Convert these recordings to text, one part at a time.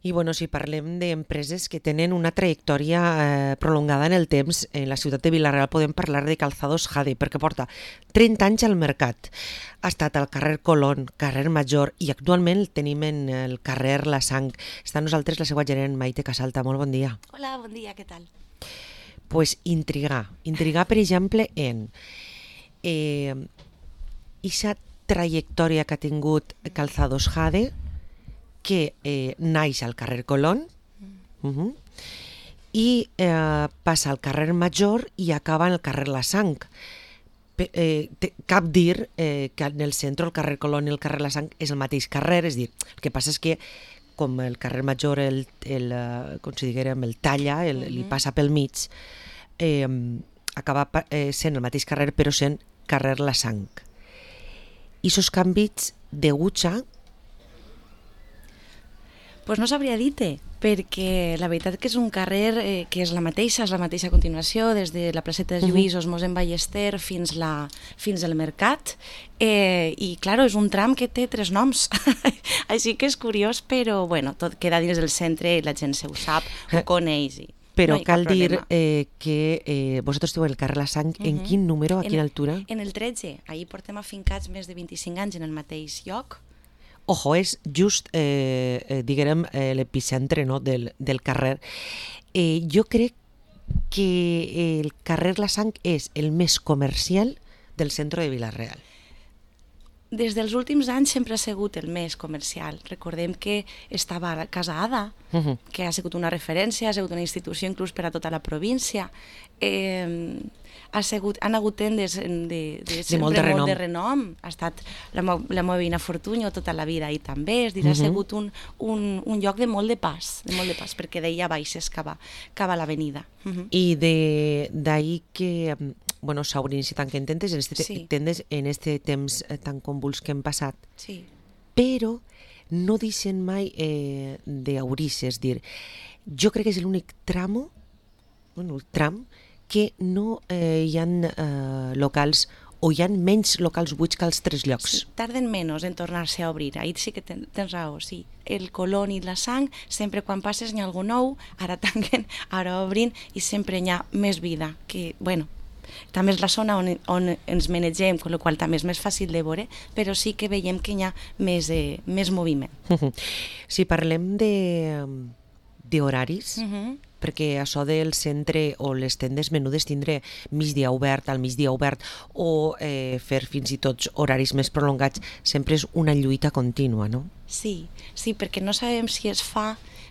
I bueno, si parlem d'empreses que tenen una trajectòria prolongada en el temps, en la ciutat de Vila-real podem parlar de Calzados Jade, perquè porta 30 anys al mercat. Ha estat al carrer Colón, carrer Major, i actualment el tenim en el carrer La Sang. Està amb nosaltres la seva gerent Maite Casalta. Molt bon dia. Hola, bon dia, què tal? Pues intrigar, per exemple, en eixa trajectòria que ha tingut Calzados Jade, que naix al carrer Colón i passa al carrer Major i acaba en el carrer La Sang. Cap dir que en el centre el carrer Colón i el carrer La Sang és el mateix carrer, és dir, el que passa és que com el carrer Major com si diguérem, el talla, li passa pel mig, acaba sent el mateix carrer però sent carrer La Sang. I esos canvis deguts a... Pues no sabria dir-te, perquè la veritat que és un carrer que és la mateixa continuació, des de la placeta de Lluís, Mossèn Ballester fins al mercat, i clar, és un tram que té 3 noms, així que és curiós, però bueno, tot queda dins del centre i la gent se ho sap, ho coneix. Però no cal dir que vosaltres esteu al carrer La Sang, en quin número, a quina altura? En el 13, ahir portem afincats més de 25 anys en el mateix lloc. Ojo, és just, diguem, l'epicentre, no, del carrer. Jo crec que el carrer La Sang és el més comercial del centre de Vila-real. Des dels últims anys sempre ha sigut el més comercial. Recordem que estava a Casa Ada, que ha sigut una referència, ha sigut una institució inclús per a tota la província. Han hagut tendes de molt de renom. Ha estat la meva veïna Fortunyo tota la vida i també, és dir, ha sigut un lloc de molt de pas, perquè d'ahir a baix es cava l'avenida. I d'ahir que s'hauran iniciat tanquen tendes en este temps tan convuls que hem passat. Sí. Però no deixen mai d'obrir-se, és dir, jo crec que és l'únic tram que no hi ha locals o hi ha menys locals buits que als 3 llocs. Sí, tarden menys en tornar-se a obrir, ahir sí que tens raó, sí. El Colón i La Sang, sempre quan passes n'hi ha algú nou, ara tanquen, ara obrin i sempre n'hi ha més vida, que, bueno, també és la zona on ens manegem, amb la qual també és més fàcil de veure, però sí que veiem que hi ha més moviment. Si parlem d'horaris, perquè això del centre o les tendes menudes tindre migdia obert, al migdia obert o fer fins i tot horaris més prolongats sempre és una lluita contínua, no? Sí, perquè no sabem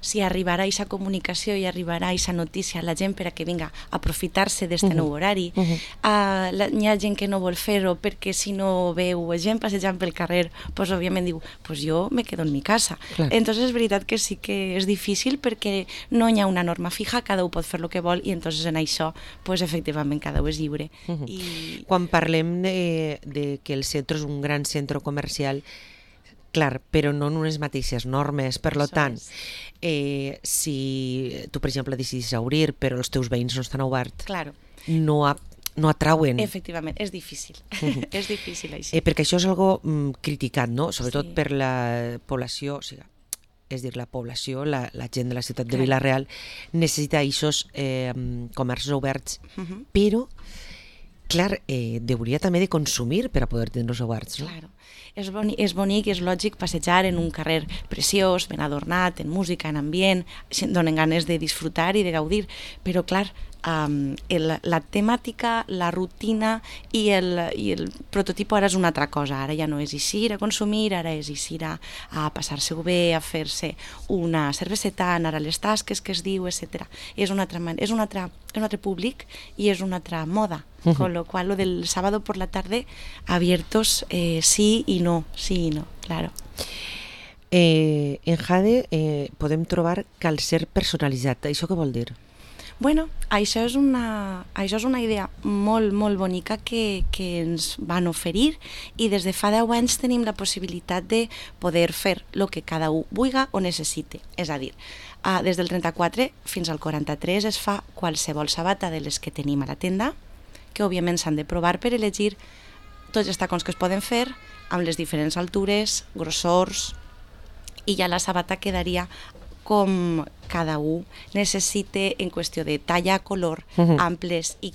si arribarà aquesta comunicació i arribarà aquesta notícia a la gent per a que vinga a aprofitar-se d'aquest nou horari. Hi ha gent que no vol fer-ho perquè si no veu gent passejant pel carrer, pues òbviament diu, pues jo me quedo en mi casa. Entonces és veritat que sí que és difícil perquè no hi ha una norma fija, cada un pot fer el que vol i entonces en això, pues efectivament cada un és lliure. Quan parlem de que el centre és un gran centre comercial, clar, però no en unes mateixes normes. Per tant, si tu, per exemple, decidis obrir, però els teus veïns no estan oberts, no atrauen. Efectivament, és difícil. És difícil, així. Perquè això és algo criticat, no? Sobretot per la població, és dir, la població, la gent de la ciutat de Vila-real necessita aquests comerços oberts, però clar, hauria també de consumir per a poder tenir-los oberts, no? Claro. És bonic i és lògic passejar en un carrer preciós, ben adornat, en música, en ambient, donen ganes de disfrutar i de gaudir, però clar, la temàtica, la rutina i el prototip ara és una altra cosa. Ara ja no és eixir a consumir, ara és eixir a passar-se-ho bé, a fer-se una cerveseta, anar a les tasques que es diu, etc. És un altre públic i és una altra moda, con lo cual lo del sábado por la tarde abiertos sí i no, claro. En Jade podem trobar calcer personalitzat. Això què vol dir? Bueno, això és una idea molt, molt bonica que ens van oferir i des de fa 10 anys tenim la possibilitat de poder fer el que cada un vulgui o necessite. És a dir, des del 34 fins al 43 es fa qualsevol sabata de les que tenim a la tenda, que òbviament s'han de provar per elegir tots els tacons que es poden fer amb les diferents altures, grossors, i ja la sabata quedaria com cada un necessita en qüestió de talla, color, amples i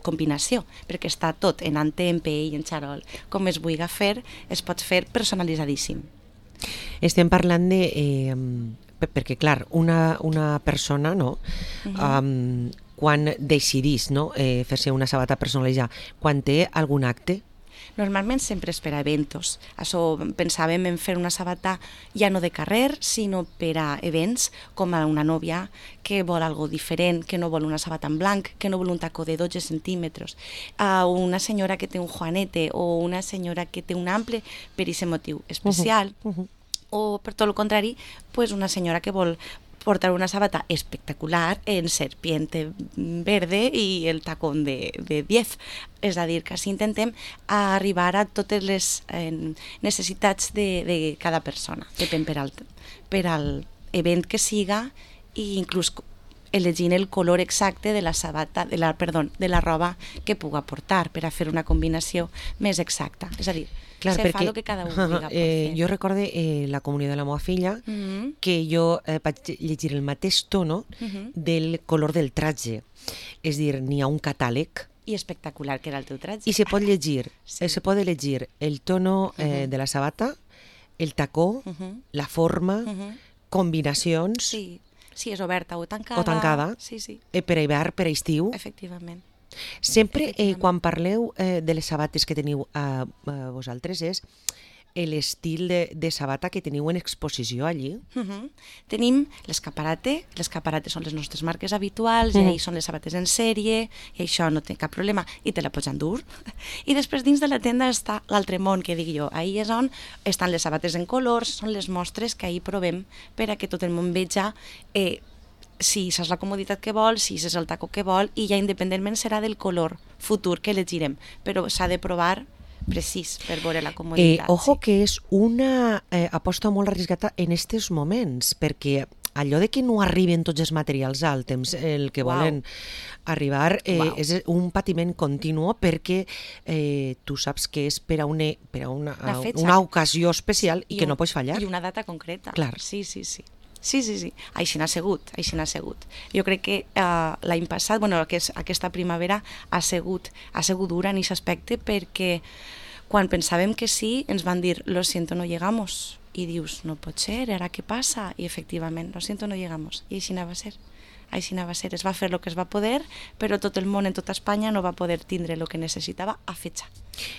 combinació, perquè està tot en ante, en pell, en xarol. Com es vulgui fer, es pot fer personalitzadíssim. Estem parlant de... perquè, clar, una persona, no? Quan decidís, no? Fer-se una sabata personalitzada, quan té algun acte? Normalment sempre és per a eventos. Això pensàvem en fer una sabata ja no de carrer, sinó per a events, com a una nòvia que vol algo diferent, que no vol una sabata en blanc, que no vol un tacó de 12 centímetres, a una senyora que té un juanete o una senyora que té un ample per aquest motiu especial, o per tot el contrari, pues una senyora que vol portar una sabata espectacular en serpiente verde i el tacón de 10. És a dir, que així intentem arribar a totes les necessitats de cada persona, depèn per al event que siga, i inclús elegint el color exacte de la sabata, de la roba que puga portar per a fer una combinació més exacta. És a dir, clar, se fa el que cada un vulgui fer. Jo recorde la comunió de la meva filla que jo vaig llegir el mateix tono del color del traje. És dir, n'hi ha un catàleg i espectacular que era el teu traje. I se pot llegir, se pot elegir el tono de la sabata, el tacó, la forma, combinacions... Sí, és oberta o tancada. O tancada, sí. Per a hivern, per a estiu. Efectivament. Sempre, quan parleu de les sabates que teniu vosaltres, és l'estil de sabata que teniu en exposició allí. Tenim l'escaparate són les nostres marques habituals, i ahí són les sabates en sèrie, i això no té cap problema, i te la pots endur. I després dins de la tenda està l'altre món, que dic jo, ahí és on estan les sabates en colors, són les mostres que ahí provem per a que tot el món veja si és la comoditat que vol, si és el tacó que vol, i ja independentment serà del color futur que elegirem, però s'ha de provar precís per veure la comoditat. Ojo, que és una aposta molt arriscada en aquests moments, perquè allò de que no arriben tots els materials al temps el que volen arribar és un patiment continu, perquè tu saps que és per a una ocasió especial i que no pots fallar. I una data concreta. Clar. Sí. Així n'ha sigut. Jo crec que l'any passat, aquesta primavera ha sigut dura en aquest aspecte, perquè quan pensàvem que sí, ens van dir, lo siento, no llegamos. I dius, no pot ser, ara què passa? I efectivament, lo siento, no llegamos. I així anava a ser. Es va fer el que es va poder, però tot el món en tota Espanya no va poder tindre el que necessitava a fecha.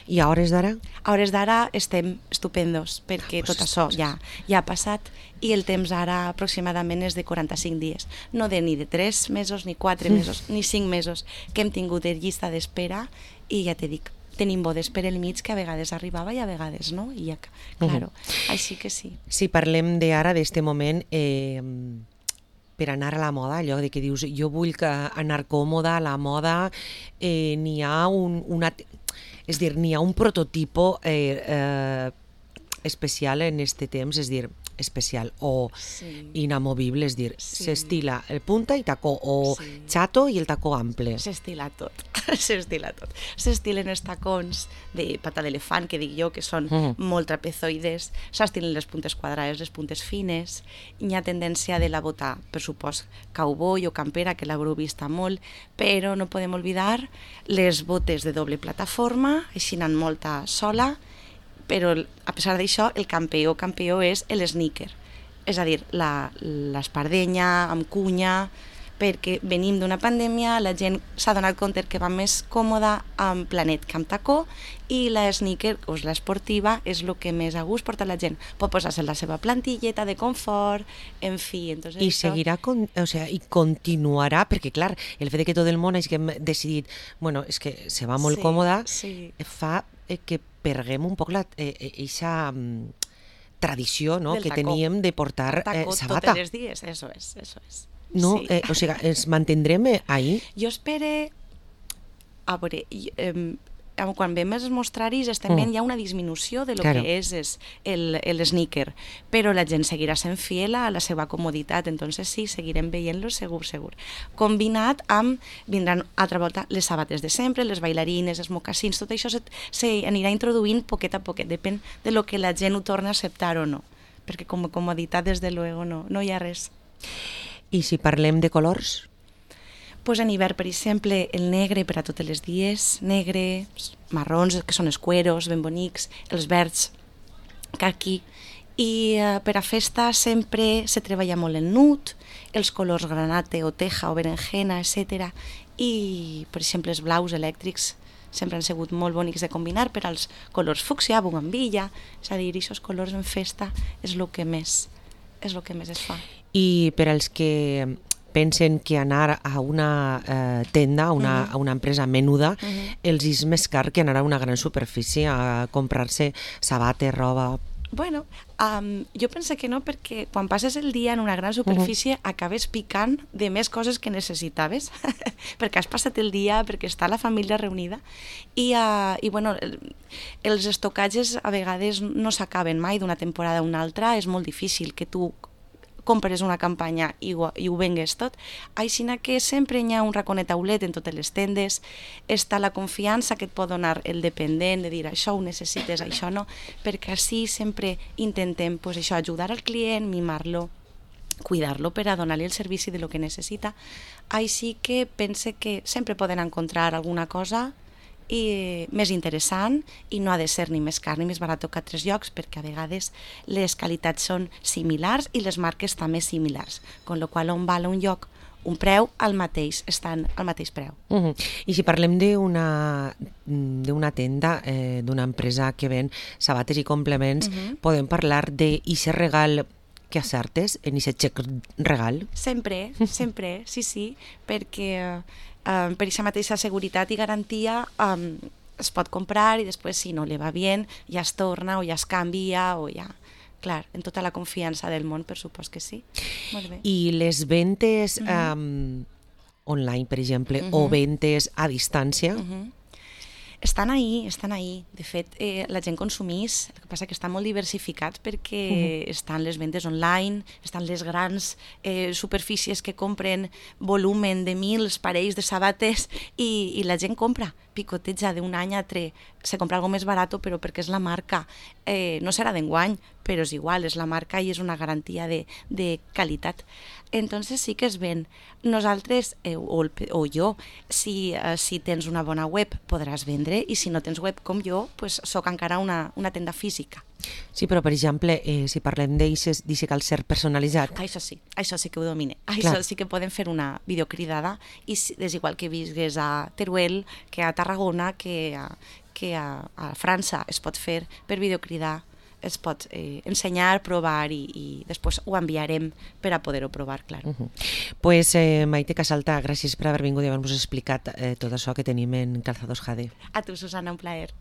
I a hores d'ara? A hores d'ara estem estupendos, perquè tot això ja ha passat, i el temps ara aproximadament és de 45 dies. No ni de 3 mesos, ni 4 mesos, ni 5 mesos, que hem tingut de llista d'espera, i ja te dic, tenim bodes per el mig que a vegades arribava i a vegades no, i ja, claro, així que sí. Si parlem d'ara, d'este moment, per anar a la moda, allò de que dius, jo vull anar còmoda a la moda, n'hi ha un prototipo especial en este temps, és dir, especial o inamovible, és dir, s'estila el punta i tacó, o chato i el tacó ample. S'estila tot. S'estilen els tacons de pata d'elefant, que dic jo, que són molt trapezoides, s'estilen les puntes quadrades, les puntes fines, hi ha tendència de la bota, per supost, cowboy o campera, que l'haureu vista molt, però no podem oblidar les botes de doble plataforma, així n'han molta sola, però a pesar d'això el campió és l'sneaker, és a dir, l'espardenya amb cunya, perquè venim d'una pandèmia, la gent s'ha donat compte que va més còmoda amb planet que amb tacó, i la sneaker, o l'esportiva, és el que més a gust porta la gent. Pot posar-se la seva plantilleta de confort, en fi. Entonces, i seguirà, i continuarà, perquè clar, el fet que tot el món hagi decidit, és que se va molt còmoda, fa que perguem un poc aquesta tradició que teníem de portar sabata. Totes les dies, eso es. No, ens mantindrem ahí? Jo espero, a veure, quan veiem els mostraris estem veient ja una disminució de lo que és el sneaker, però la gent seguirà sent fiel a la seva comoditat, entonces sí, seguirem veient-lo segur. Combinat amb, vindran altra volta les sabates de sempre, les bailarines, els mocassins, tot això s'anirà introduint poquet a poquet, depèn de lo que la gent ho torna a acceptar o no. perquè com a comoditat, des de luego, no hi ha res. I si parlem de colors? Pues en hivern, per exemple, el negre per a totes les dies, negre, marrons, que són els cueros, ben bonics, els verds, caqui, i per a festa sempre se treballa molt el nut, els colors granate o teja o berenjena, etc. I, per exemple, els blaus elèctrics sempre han sigut molt bonics de combinar per als colors fúcsia, bugambilla, és a dir, aquests colors en festa és el que més es fa. I per als que pensen que anar a una tenda, a una empresa menuda, els és més car que anar a una gran superfície a comprar-se sabates, roba... Bueno, jo penso que no, perquè quan passes el dia en una gran superfície acabes picant de més coses que necessitaves, perquè has passat el dia, perquè està la família reunida, i bueno, els estocatges a vegades no s'acaben mai d'una temporada a una altra, és molt difícil que tu compres una campanya i ho vengues tot. Així que sempre hi ha un raconet aulet en totes les tendes, està la confiança que et pot donar el dependent, de dir això ho necessites, això no, perquè així sempre intentem pues, això, ajudar al client, mimar-lo, cuidar-lo per a donar-li el servici de lo que necessita. Així que pense que sempre poden encontrar alguna cosa més interessant i no ha de ser ni més car ni més barat que a altres llocs, perquè a vegades les qualitats són similars i les marques també similars, con lo qual on val un lloc un preu al mateix, estan al mateix preu. I si parlem d'una tenda, d'una empresa que ven sabates i complements, podem parlar d'eixe regal que acertes, en eixe xec regal? Sempre, sí, perquè per aquesta mateixa seguretat i garantia es pot comprar i després si no li va bé ja es torna o ja es canvia o ja... Clar, en tota la confiança del món, per supost que sí. Molt bé. I les ventes online, per exemple, o ventes a distància? Estan ahí. De fet, la gent consumís, el que passa que està molt diversificat perquè estan les ventes online, estan les grans superfícies que compren volumen de 1.000 parells de sabates i la gent compra, picoteja d'un any a altre, se compra algo més barat però perquè és la marca, no serà d'enguany, però és igual, és la marca i és una garantia de qualitat. Entonces sí que es ven. Nosaltres, o jo, si tens una bona web podràs vendre i si no tens web com jo, pues soc encara una tenda física. Sí, però per exemple, si parlem d'eixe calcer personalitzat... Això sí que ho domine. Això sí que podem fer una videocridada i és igual que visgues a Teruel, que a Tarragona, que a França es pot fer per videocridar, es pot ensenyar, provar i després ho enviarem per a poder-ho provar, clar. Pues Maite Casalta, gràcies per haver vingut i haver-nos explicat tot això que tenim en Calzados Jade. A tu, Susana, un plaer.